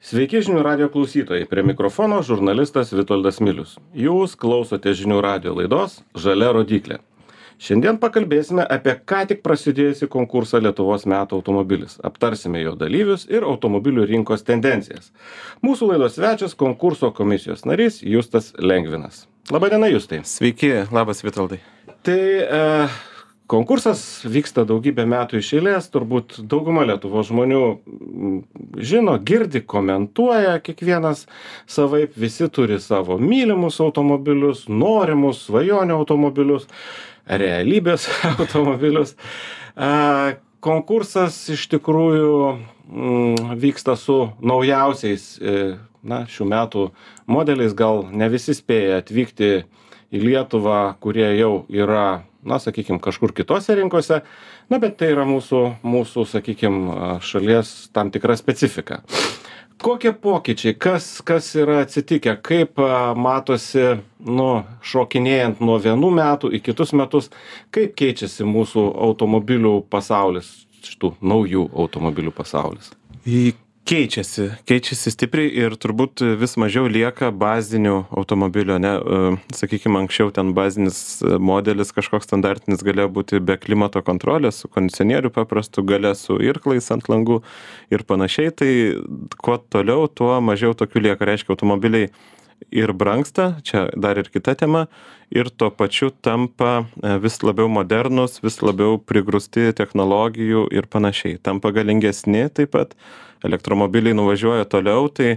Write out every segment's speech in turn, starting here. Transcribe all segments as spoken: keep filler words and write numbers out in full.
Sveiki žinių radio klausytojai, prie mikrofono žurnalistas Vitoldas Milius. Jūs klausote žinių radio laidos Žalia rodyklė. Šiandien pakalbėsime apie ką tik prasidėjusį konkursą Lietuvos metų automobilis. Aptarsime jo dalyvius ir automobilių rinkos tendencijas. Mūsų laidos svečias konkurso komisijos narys Justas Lengvinas. Labadiena, Justai. Sveiki, labas Vitoldai. Tai e, konkursas vyksta daugybę metų iš eilės, turbūt dauguma Lietuvos žmonių žino, girdi, komentuoja kiekvienas savaip, visi turi savo mylimus automobilius, norimus, svajonių automobilius, realybės automobilius. E, konkursas iš tikrųjų m, vyksta su naujausiais e, na, šių metų modeliais, gal ne visi spėja atvykti į Lietuvą, kurie jau yra, na, sakykime, kažkur kitose rinkose, na, bet tai yra mūsų, mūsų, sakykime, šalies tam tikra specifika. Kokie pokyčiai, kas, kas yra atsitikę, kaip a, matosi, nu, šokinėjant nuo vienų metų į kitus metus, kaip keičiasi mūsų automobilių pasaulis, šitų naujų automobilių pasaulis? Į Keičiasi, keičiasi stipriai ir turbūt vis mažiau lieka bazinių automobilio, ne, sakykime, anksčiau ten bazinis modelis kažkoks standartinis galėjo būti be klimato kontrolės, su kondicionieriu paprastu, gale su irklais ant langų ir panašiai, tai kuo toliau, tuo mažiau tokių lieka, reiškia, automobiliai ir brangsta, čia dar ir kita tema, ir tuo pačiu tampa vis labiau modernus, vis labiau prigrūsti technologijų ir panašiai, tampa galingesni taip pat. Elektromobiliai nuvažiuoja toliau, tai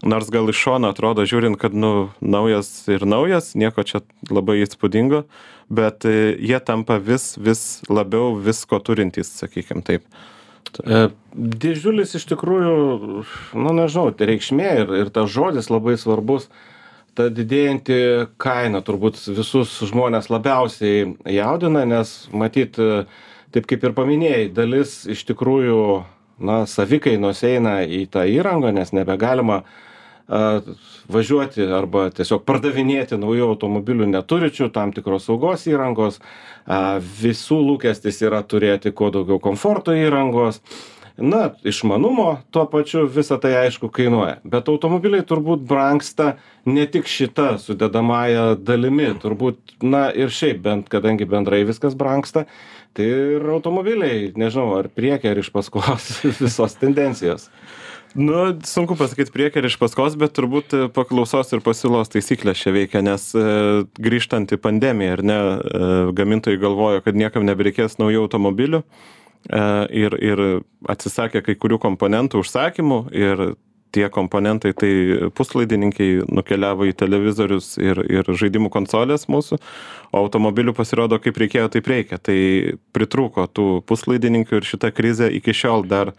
nors gal iš šono atrodo žiūrint, kad nu, naujas ir naujas, nieko čia labai įspūdingo, bet jie tampa vis, vis labiau visko turintys, sakykime taip. E, didžiulis iš tikrųjų, nu nežinau, tai reikšmė ir, ir tas žodis labai svarbus, ta didėjanti kaina turbūt visus žmonės labiausiai jaudina, nes matyt, taip kaip ir paminėjai, dalis iš tikrųjų na, savikainos eina į tą įrangą, nes nebegalima a, važiuoti arba tiesiog pardavinėti naujų automobilių neturičių tam tikros saugos įrangos. A, visų lūkestis yra turėti kuo daugiau komforto įrangos. Na, išmanumo tuo pačiu visą tai aišku kainuoja. Bet automobiliai turbūt brangsta ne tik šita sudedamąja dalimi, turbūt, na ir šiaip, bent, kadangi bendrai viskas brangsta, tai ir automobiliai, nežinau, ar priekį, ar iš paskos visos tendencijos. Nu, sunku pasakyti priekį ir iš paskos, bet turbūt paklausos ir pasiūlos taisyklės čia veikia, nes e, grįžtant į pandemiją, ar ne, e, gamintojai galvojo, kad niekam nebereikės naujų automobilių e, ir, ir atsisakė kai kurių komponentų užsakymų ir tie komponentai, tai puslaidininkiai nukeliavo į televizorius ir, ir žaidimų konsolės mūsų, o automobilių pasirodo kaip reikėjo, taip reikia. Tai pritrūko tų puslaidininkių ir šita krizė iki šiol dar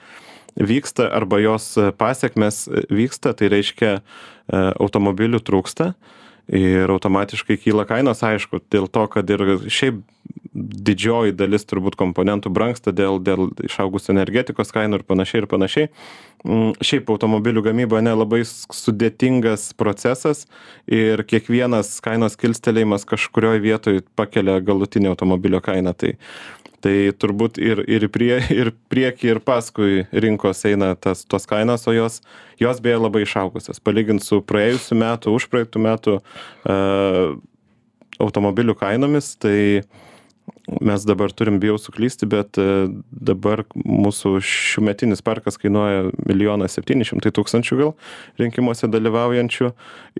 vyksta arba jos pasiekmes vyksta, tai reiškia automobilių trūksta ir automatiškai kyla kainos, aišku, dėl to, kad ir šiaip didžioji dalis turbūt komponentų brangsta dėl, dėl išaugusių energetikos kainų ir panašiai ir panašiai. Šiaip automobilių gamyba ne labai sudėtingas procesas ir kiekvienas kainos kilstelėjimas kažkurioje vietoje pakelia galutinį automobilio kainą. Tai, tai turbūt ir, ir, prie, ir prieki, ir paskui rinkos eina tas, tos kainos, o jos, jos beje labai išaugusios. Palygint su praėjusiu metu, už praeitų metų uh, automobilių kainomis, tai mes dabar turim, bijau suklysti, bet dabar mūsų šiųmetinis parkas kainuoja milijoną septyni šimtai tūkstančių gal rinkimuose dalyvaujančių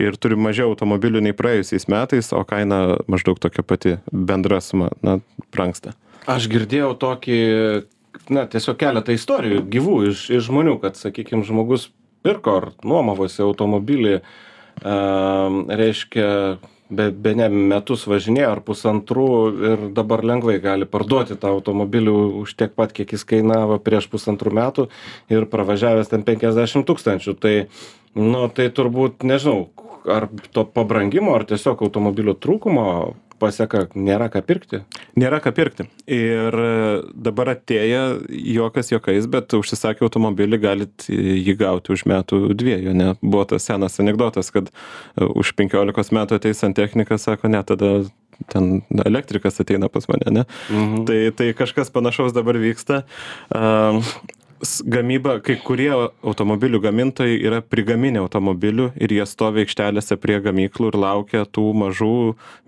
ir turim mažiau automobilių nei praėjusiais metais, o kaina maždaug tokia pati bendra suma, na, brangsta. Aš girdėjau tokį, na, tiesiog keletą istorijų gyvų iš, iš žmonių, kad, sakykime, žmogus pirko ar nuomavosi automobilį, e, reiškia, be, be ne metus važinėjo ar pusantrų ir dabar lengvai gali parduoti tą automobilį už tiek pat, kiek jis kainavo prieš pusantrų metų ir pravažiavęs ten penkiasdešimt tūkstančių. Tai, nu, tai turbūt, nežinau, ar to pabrangimo, ar tiesiog automobilio trūkumo paseka, nėra ką pirkti. Nėra ką pirkti. Ir dabar atėję juokas juokais, bet užsisakę automobilį galit jį gauti už metų dviejų, ne? Buvo tas senas anekdotas, kad už penkiolikos metų ateis santechnikas, sako, ne, tada ten elektrikas ateina pas mane, ne? Mhm. Tai, tai kažkas panašaus dabar vyksta. Uh, s- gamyba, kai kurie automobilių gamintojai yra prigaminę automobilių ir jie stovi aikštelėse prie gamyklų ir laukia tų mažų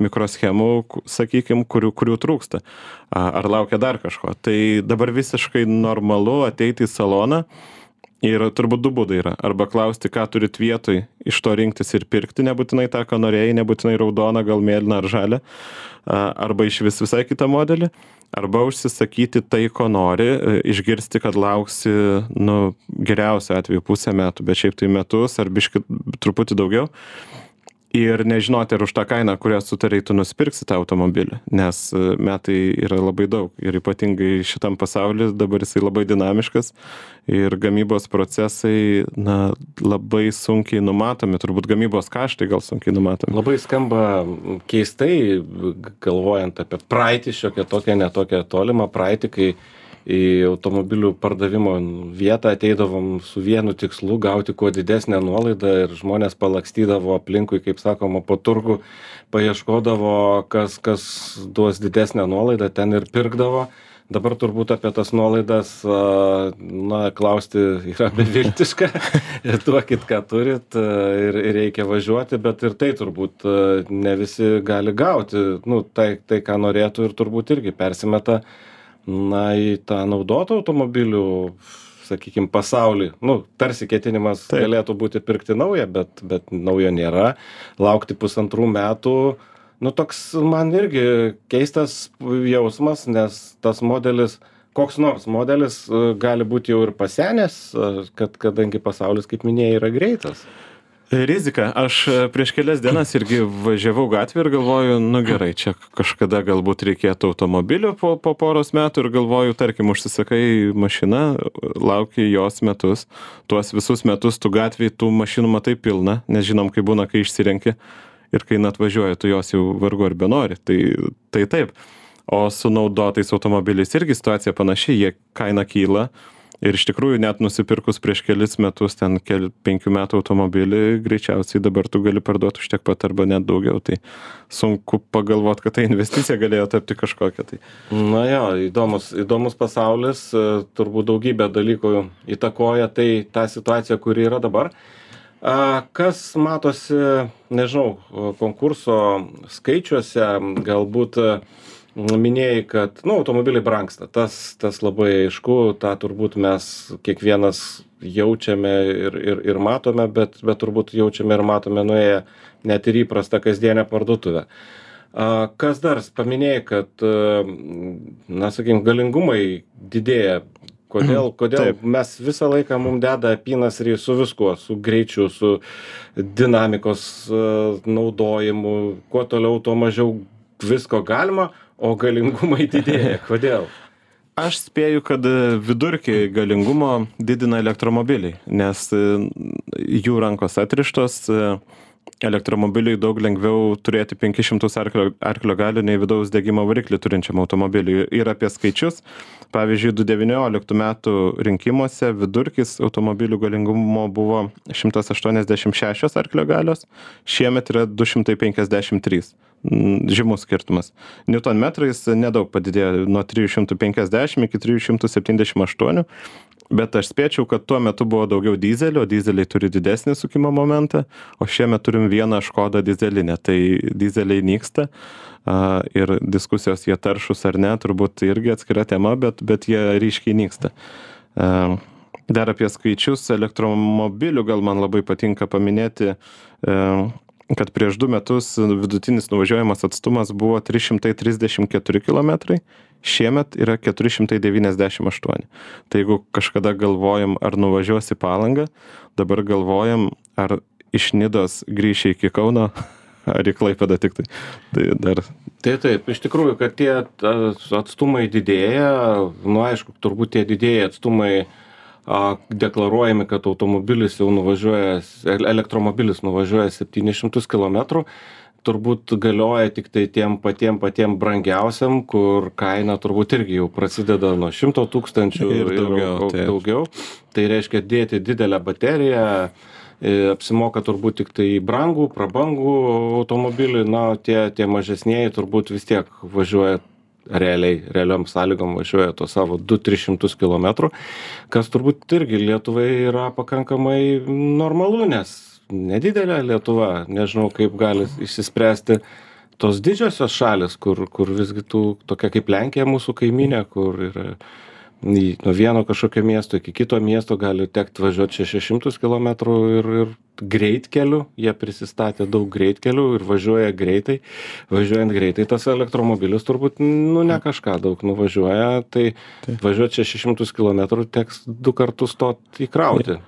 mikroschemų, sakykime, kurių, kurių trūksta. A, Ar laukia dar kažko. Tai dabar visiškai normalu ateiti į saloną. Ir turbūt du būdai yra. Arba klausti, ką turit vietoj, iš to rinktis ir pirkti, nebūtinai tą, ką norėjai, nebūtinai raudoną, gal mėlyną ar žalią. A, Arba iš vis visai kitą modelį. Arba užsisakyti tai, ko nori, e, išgirsti, kad lauksi, nu, geriausiu atveju pusę metų, bet šiaip tai metus ar biški truputį daugiau. Ir nežinoti, ar už tą kainą, kurią sutarei, tu nusipirksi tą automobilį, nes e, metai yra labai daug. Ir ypatingai šitam pasaulyje dabar jisai labai dinamiškas ir gamybos procesai, na, labai sunkiai numatomi, turbūt gamybos kaštai gal sunkiai numatomi. Labai skamba keistai, galvojant apie praeitį, šiokią tokią, netokią tolimą praeitį, kai į automobilių pardavimo vietą ateidavom su vienu tikslu gauti kuo didesnę nuolaidą ir žmonės palakstydavo aplinkui, kaip sakoma, po turgų, paieškodavo, kas, kas duos didesnę nuolaidą, ten ir pirkdavo. Dabar turbūt apie tas nuolaidas, a, na, klausti yra beviltiška, duokit, ką turit a, ir, ir reikia važiuoti, bet ir tai turbūt a, ne visi gali gauti, nu, tai, tai ką norėtų ir turbūt irgi persimeta, na, į tą naudotų automobilių, sakykime, pasaulį. Nu, tarsi ketinimas Taip. galėtų būti pirkti naują, bet, bet naujo nėra. Laukti pusantrų metų, nu, toks man irgi keistas jausmas, nes tas modelis, koks nors modelis e, gali būti jau ir pasenęs, e, kad, kadangi pasaulis, kaip minėjai, yra greitas. Rizika. Aš e, prieš kelias dienas irgi važiavau gatvę ir galvoju, nu gerai, čia kažkada galbūt reikėtų automobilio po, po poros metų ir galvoju, tarkim, užsisakai mašiną, lauki jos metus, tuos visus metus tu gatvėj tų mašinų matai pilna, nes žinom, kai būna, kai išsirenki ir kai net važiuoji, tu jos jau vargu ar benori. Tai, tai taip. O su naudotais automobiliais irgi situacija panaši, jie kaina kyla. Ir iš tikrųjų net nusipirkus prieš kelis metus ten keli, penkių metų automobilį, greičiausiai dabar tu gali parduoti už tiek pat arba net daugiau. Tai sunku pagalvoti, kad ta investicija galėjo tapti kažkokia. Tai. Na jo, įdomus, įdomus pasaulis, e, turbūt daugybė dalykų įtakoja tai tą situaciją, kuri yra dabar. A, Kas matosi, nežinau, konkurso skaičiuose, galbūt e, minėjai, kad, nu, automobiliai brangsta. Tas, tas labai aišku, tą turbūt mes kiekvienas jaučiame ir, ir, ir matome, bet, bet turbūt jaučiame ir matome nuėję net ir įprastą kasdienę parduotuvę. A, Kas dar? Paminėjai, kad, a, na, sakykim, galingumai didėja. Kodėl, kodėl Taip. mes visą laiką mums deda apynasrį su viskuo, su greičiu, su dinamikos a, naudojimu, kuo toliau, tuo mažiau visko galima, o galingumai didėja. Kodėl? Aš spėju, kad vidurkį galingumo didina elektromobiliai, nes e, jų rankos atrištos, e, elektromobiliui daug lengviau turėti penkis šimtus arklio, arklio galių nei vidaus degimo variklį turinčiam automobiliui. Ir apie skaičius, pavyzdžiui, du tūkstančiai devynioliktų metų rinkimuose vidurkis automobilių galingumo buvo šimtas aštuoniasdešimt šešios arklio galios, šiemet yra du šimtai penkiasdešimt trys. Žymus skirtumas. Newtonmetrais nedaug padidėjo nuo trijų šimtų penkiasdešimt iki trijų šimtų septyniasdešimt aštuonių, bet aš spėčiau, kad tuo metu buvo daugiau dizelio, dizeliai turi didesnį sukimo momentą, o šiemet turim vieną Škodą dizelinę, tai dizeliai nyksta a, ir diskusijos jie taršus ar ne, turbūt irgi atskira tema, bet, bet jie ryškiai nyksta. A, dar apie skaičius elektromobilių gal man labai patinka paminėti, a, kad prieš du metus vidutinis nuvažiuojamas atstumas buvo trys šimtai trisdešimt keturi kilometrai, šiemet yra keturi šimtai devyniasdešimt aštuoni. Tai jeigu kažkada galvojam, ar nuvažiuosi Palangą, dabar galvojam, ar iš Nidos grįši iki Kauno, ar į Klaipėdą tik tai. Tai dar. Tai taip, iš tikrųjų, kad tie ta, atstumai didėja, nu aišku, turbūt tie didėja atstumai a, deklaruojami, kad automobilis jau nuvažiuoja, elektromobilis nuvažiuoja septynis šimtus kilometrų, turbūt galioja tik tai tiem patiem patiem brangiausiam, kur kaina turbūt irgi jau prasideda nuo šimto tūkstančių ir daugiau. ir daugiau. Tai reiškia dėti didelę bateriją, e, apsimoka turbūt tik tai brangų, prabangų automobilį, na, tie, tie mažesnieji turbūt vis tiek važiuoja realiai, realiom sąlygom važiuoja to savo du tris šimtus kilometrų, kas turbūt irgi Lietuvai yra pakankamai normalu, nes nedidelė Lietuva, nežinau kaip gali išsispręsti tos didžiosios šalis, kur, kur visgi tų, tokia kaip Lenkija mūsų kaiminė, kur yra nuo vieno kažkokio miesto iki kito miesto gali tekti važiuoti šešis šimtus kilometrų ir, ir greitkeliu, jie prisistatė daug greitkelių ir važiuoja greitai. Važiuojant greitai, tas elektromobilis turbūt, nu, ne kažką daug nuvažiuoja, tai tai. Važiuoti šešis šimtus kilometrų teks du kartus to įkrauti.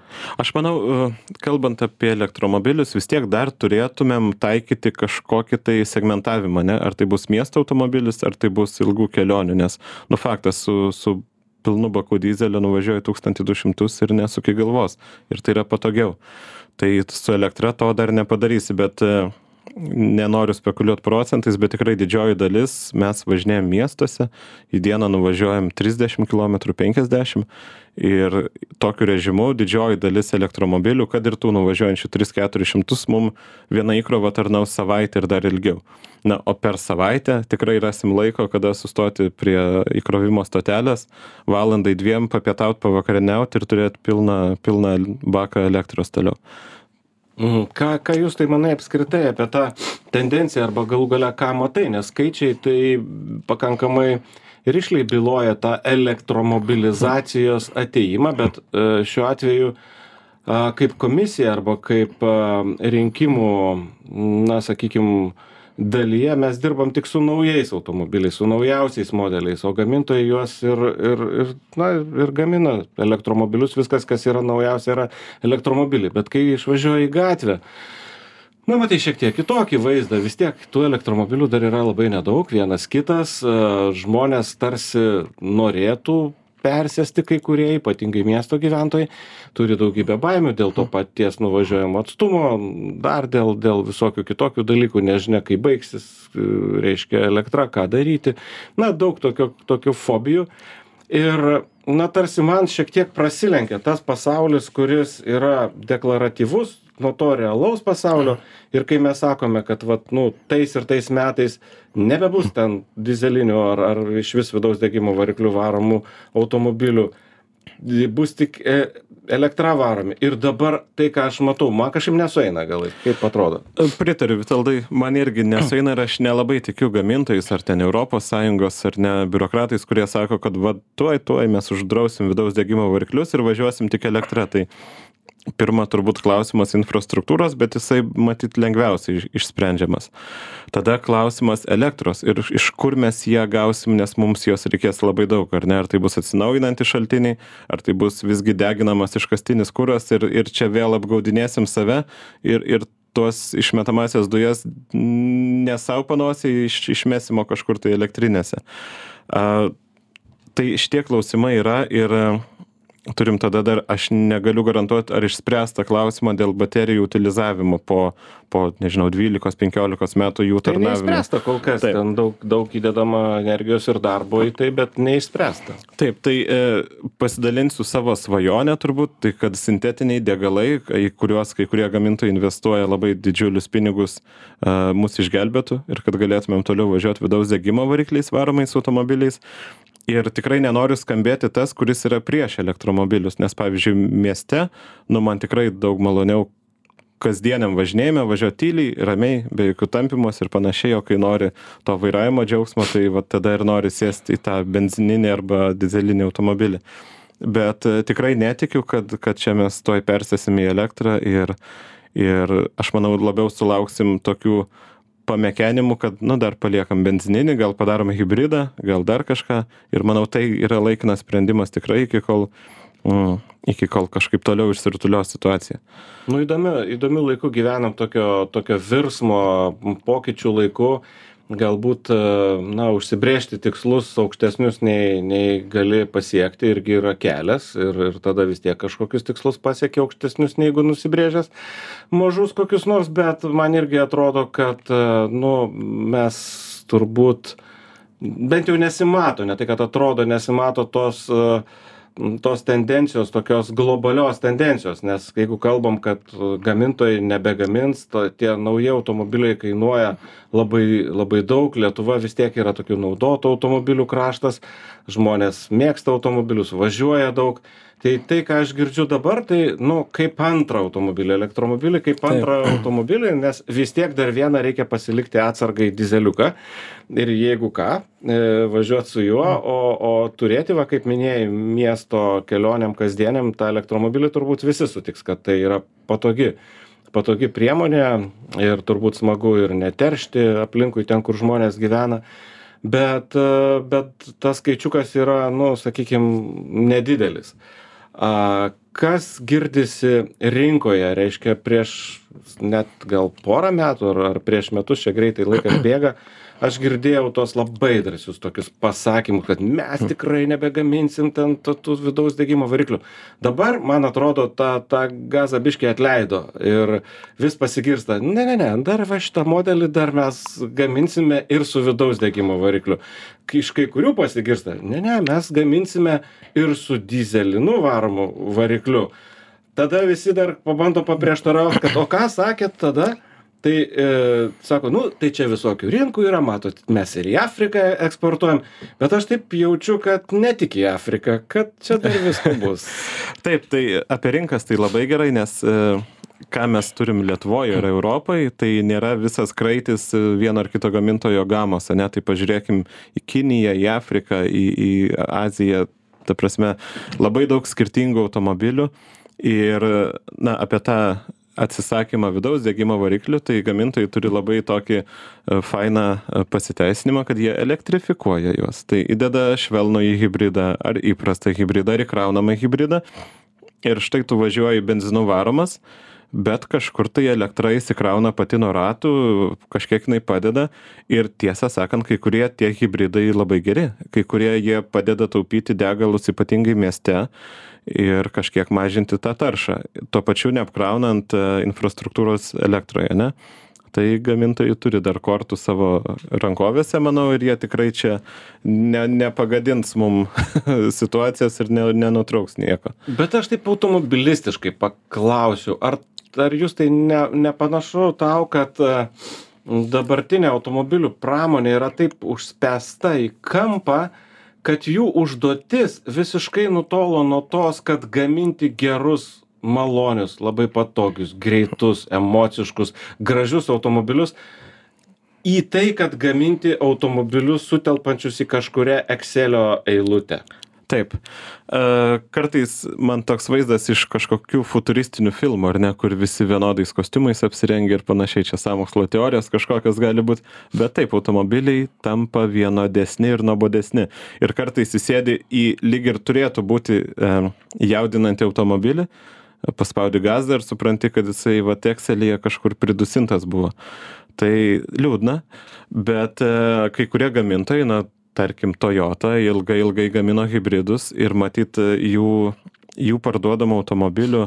Aš manau, kalbant apie elektromobilius, vis tiek dar turėtumėm taikyti kažkokį tai segmentavimą, ne? Ar tai bus miesto automobilis, ar tai bus ilgų kelionių, nes, nu, faktas, su, su pilnu baku dyzelio nuvažiuoja tūkstantį du šimtus ir nesuki galvos. Ir tai yra patogiau. Tai su elektra to dar nepadarysi, bet nenoriu spekuliuoti procentais, bet tikrai didžioji dalis mes važinėjam miestuose, į dieną nuvažiuojam trisdešimt kilometrų, penkiasdešimt ir tokiu režimu didžioji dalis elektromobilių, kad ir tų nuvažiuojančių tris keturis šimtus, mum viena įkrova tarnaus savaitę ir dar ilgiau. Na, o per savaitę tikrai rasim laiko, kada sustoti prie įkrovimo stotelės, valandai dviem papietaut, pavakarieniaut ir turėti pilną, pilną baką elektros toliau. Mhm. Ką, ką jūs tai manai apskritai apie tą tendenciją arba galų gale ką matai, nes skaičiai tai pakankamai rišliai byloja tą elektromobilizacijos ateimą, bet šiuo atveju kaip komisija arba kaip rinkimų, na, sakykime, dalyje mes dirbam tik su naujais automobiliais, su naujausiais modeliais, o gamintojai juos ir, ir, ir, na, ir gamina elektromobilius, viskas, kas yra naujausia, yra elektromobiliai. Bet kai išvažiuoja į gatvę, na, matai šiek tiek kitokį vaizdą, vis tiek tų elektromobilių dar yra labai nedaug, vienas kitas, žmonės tarsi norėtų persėsti kai kurie, ypatingai miesto gyventojai, turi daugybę baimių dėl to paties nuvažiuojamo atstumo, dar dėl, dėl visokių kitokių dalykų, nežinia, kai baigsis, reiškia, elektra, ką daryti. Na, daug tokių, tokių fobijų. Ir, na, tarsi man šiek tiek prasilenkia tas pasaulis, kuris yra deklaratyvus nuo to realaus pasaulio. Ir kai mes sakome, kad, vat, nu, tais ir tais metais nebebus ten dizelinių ar, ar iš vis vidaus degimo variklių varomų automobilių, bus tik elektra varomi. Ir dabar tai, ką aš matau, man kažkaip nesueina galai. Kaip atrodo? Pritariu, Vitaldai, man irgi nesueina ir aš nelabai tikiu gamintojais, ar ten Europos Sąjungos, ar ne biurokratais, kurie sako, kad va, tuoj, tuoj mes uždrausim vidaus degimo variklius ir važiuosim tik elektrą. Tai pirma, turbūt klausimas infrastruktūros, bet jisai matyt lengviausiai išsprendžiamas. Tada klausimas elektros ir iš kur mes ją gausim, nes mums jos reikės labai daug, ar ne? Ar tai bus atsinaujinantys šaltiniai, ar tai bus visgi deginamas iškastinis kuras ir, ir čia vėl apgaudinėsim save ir, ir tuos išmetamasias dujas ne savo panosiai iš, išmesimo kažkur tai elektrinėse. A, tai šitie klausimai yra ir turim tada dar, aš negaliu garantuoti, ar išspręsta klausimą dėl baterijų utilizavimo po, po nežinau, dvylikos penkiolikos metų jų tarnavimo. Tai neišspręsta kol kas, taip. Ten daug, daug įdedama energijos ir darbo į tai, bet neišspręsta. Taip, tai e, pasidalinsiu savo svajonę turbūt, tai kad sintetiniai degalai, į kuriuos kai kurie gamintojai investuoja labai didžiulius pinigus, e, mus išgelbėtų ir kad galėtumėm toliau važiuoti vidaus degimo varikliais varomais automobiliais. Ir tikrai nenoriu skambėti tas, kuris yra prieš elektromobilius, nes pavyzdžiui mieste, nu man tikrai daug maloniau kasdieniam važinėjime, važiuoti tyliai, ramiai, be jokių tampimos ir panašiai, o kai nori to vairavimo džiaugsmo, tai va tada ir nori sėsti į tą benzininį arba dizelinį automobilį. Bet tikrai netikiu, kad, kad čia mes toj persėsim į elektrą ir, ir aš manau labiau sulauksim tokių pamekenimų, kad, nu, dar paliekam benzininį, gal padarome hybridą, gal dar kažką. Ir manau, tai yra laikinas sprendimas tikrai, iki kol, mm, iki kol kažkaip toliau išsirutulios situacija. Nu, įdomiu, įdomiu laiku gyvenam tokio, tokio virsmo pokyčių laiku. Galbūt, na, užsibrėžti tikslus aukštesnius nei, nei gali pasiekti irgi yra kelias ir, ir tada vis tiek kažkokius tikslus pasiekia aukštesnius neigu nusibrėžęs mažus kokius nors, bet man irgi atrodo, kad, nu, mes turbūt bent jau nesimato, ne tai, kad atrodo, nesimato tos, tos tendencijos, tokios globalios tendencijos, nes jeigu kalbam, kad gamintojai nebegamins, to, tie nauji automobiliai kainuoja labai, labai daug, Lietuva vis tiek yra tokių naudotų automobilių kraštas, žmonės mėgsta automobilius, važiuoja daug. Tai tai, ką aš girdžiu dabar, tai, nu, kaip antrą automobilį, elektromobilį, kaip antrą Taip. automobilį, nes vis tiek dar vieną reikia pasilikti atsargai dizeliuką ir jeigu ką, važiuoti su juo, o, o turėti, va, kaip minėjai, miesto kelioniam kasdieniam, tą elektromobilį turbūt visi sutiks, kad tai yra patogi, patogi priemonė ir turbūt smagu ir neteršti aplinkui ten, kur žmonės gyvena. Bet, bet tas skaičiukas yra, nu, sakykime, nedidelis. A, kas girdisi rinkoje, reiškia prieš net gal porą metų ar, ar prieš metus, čia greitai laikas bėga, aš girdėjau tos labai drąsius tokius pasakymus, kad mes tikrai nebegaminsim ten tų vidaus degimo variklių. Dabar, man atrodo, tą, tą gazą biškį atleido ir vis pasigirsta, ne, ne, ne, dar va šitą modelį dar mes gaminsime ir su vidaus degimo varikliu. Iš kai kurių pasigirsta, ne, ne, mes gaminsime ir su dyzelinu varomu varikliu. Tada visi dar pabando paprieštarauti, kad o ką sakėt tada? Tai e, sako, nu, tai čia visokių rinkų yra, matot, mes ir į Afriką eksportuojam, bet aš taip jaučiu, kad ne tik į Afriką, kad čia dar visko bus. Taip, tai apie rinkas tai labai gerai, nes e, ką mes turim Lietuvoje ir Europai, tai nėra visas kraitis vieno ar kito gamintojo gamos, ne? Tai pažiūrėkim į Kiniją, į Afriką, į, į Aziją, ta prasme, labai daug skirtingų automobilių ir, na, apie tą atsisakymą vidaus degimo variklių, tai gamintojai turi labai tokį fainą pasiteisinimą, kad jie elektrifikuoja juos. Tai įdeda švelnų į hybridą, ar įprastą hybridą, ar įkraunamą hybridą. Ir štai tu važiuoji benzinu varomas, bet kažkur tai elektra įsikrauna pati nuo ratų, kažkiek jinai padeda. Ir tiesą sakant, kai kurie tie hybridai labai geri. Kai kurie jie padeda taupyti degalus ypatingai mieste ir kažkiek mažinti tą taršą, tuo pačiu neapkraunant infrastruktūros elektroje, ne? Tai gamintojai turi dar kortų savo rankovėse, manau, ir jie tikrai čia ne, nepagadins mum situacijos ir ne, nenutrauks nieko. Bet aš taip automobilistiškai paklausiu, ar, ar jūs tai ne, nepanašu tau, kad dabartinė automobilių pramonė yra taip užspęsta į kampą, kad jų užduotis visiškai nutolo nuo tos, kad gaminti gerus, malonius, labai patogius, greitus, emociškus, gražius automobilius, į tai, kad gaminti automobilius sutelpančius į kažkurią Excelio eilutę. Taip. Kartais man toks vaizdas iš kažkokių futuristinių filmų, ar ne, kur visi vienodais kostiumais apsirengia ir panašiai, čia sąmokslo teorijos kažkokios gali būti, bet taip, automobiliai tampa vienodesni ir nuobodesni. Ir kartais įsėdi į lyg ir turėtų būti e, jaudinantį automobilį, paspaudi gazą ir supranti, kad jisai va Excelėje kažkur pridusintas buvo. Tai liūdna, bet e, kai kurie gamintojai, na, tarkim, Toyota ilgai, ilgai gamino hybridus ir matyt jų, jų parduodamų automobilių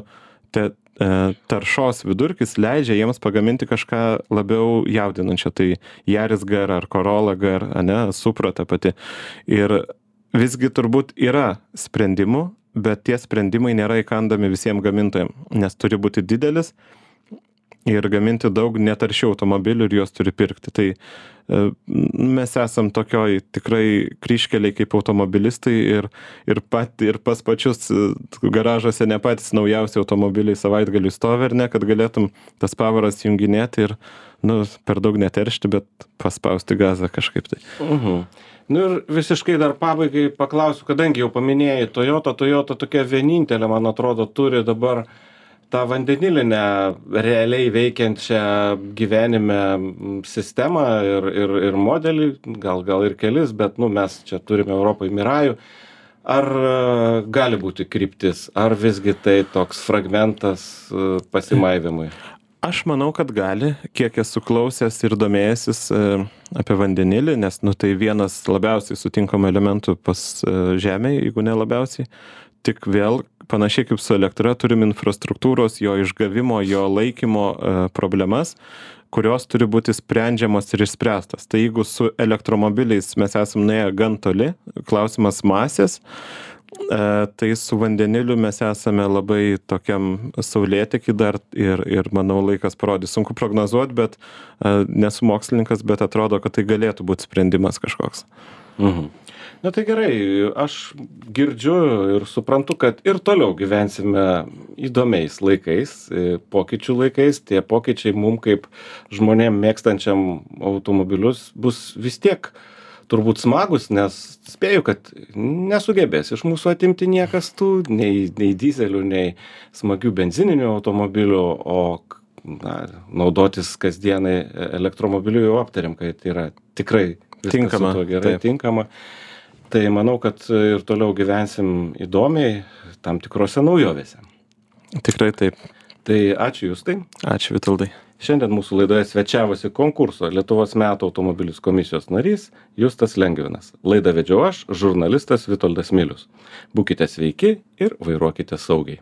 te, e, taršos vidurkis leidžia jiems pagaminti kažką labiau jaudinančio. Tai Yaris G R ar Corolla G R, ne, Supra ta pati. Ir visgi turbūt yra sprendimų, bet tie sprendimai nėra įkandami visiems gamintojams, nes turi būti didelis ir gaminti daug netaršių automobilių ir juos turi pirkti. Tai mes esam tokioj tikrai kryžkeliai kaip automobilistai ir, ir, pat, ir pas pačius garažuose ne patys naujausi automobiliai savaitgaliui stovi, ar ne, kad galėtum tas pavaras junginėti ir, nu, per daug neteršti, bet paspausti gazą kažkaip tai. Mhm. Nu ir visiškai dar pabaigai paklausiu, kadangi jau paminėjai Toyota, Toyota tokia vienintelė, man atrodo, turi dabar tą vandenilinę realiai veikiančią gyvenime sistemą ir, ir, ir modelį, gal, gal ir kelis, bet nu, mes čia turime Europoje Mirajų. Ar gali būti kryptis, ar visgi tai toks fragmentas pasimaivimui? Aš manau, kad gali, kiek esu klausęs ir domėjęsis apie vandenilį, nes nu, tai vienas labiausiai sutinkamų elementų pas Žemėje, jeigu ne labiausiai. Tik vėl, panašiai kaip su elektra, turim infrastruktūros, jo išgavimo, jo laikymo e, problemas, kurios turi būti sprendžiamos ir išspręstas. Tai jeigu su elektromobiliais mes esam nuėję gan toli, klausimas masės, E, tai su vandeniliu mes esame labai tokiam saulėteky dar ir, ir manau laikas parodys. Sunku prognozuoti, bet e, nesu mokslininkas, bet atrodo, kad tai galėtų būti sprendimas kažkoks. Mhm. Na tai gerai, aš girdžiu ir suprantu, kad ir toliau gyvensime įdomiais laikais, pokyčių laikais. Tie pokyčiai mums kaip žmonėm mėgstančiam automobilius bus vis tiek turbūt smagus, nes spėju, kad nesugebės iš mūsų atimti niekas tų, nei, nei dizelių, nei smagių benzininių automobilių, o na, naudotis kasdienai elektromobiliu jau aptarėm, kad yra tikrai tinkama, su tuo gerai taip. tinkama. Tai manau, kad ir toliau gyvensim įdomiai tam tikrose naujovėse. Tikrai taip. Tai ačiū Justai. Ačiū Vitoldai. Šiandien mūsų laidoje svečiavosi konkurso Lietuvos metų automobilis komisijos narys Justas Lengvinas. Laidą vedžiau aš, žurnalistas Vitoldas Milius. Būkite sveiki ir vairuokite saugiai.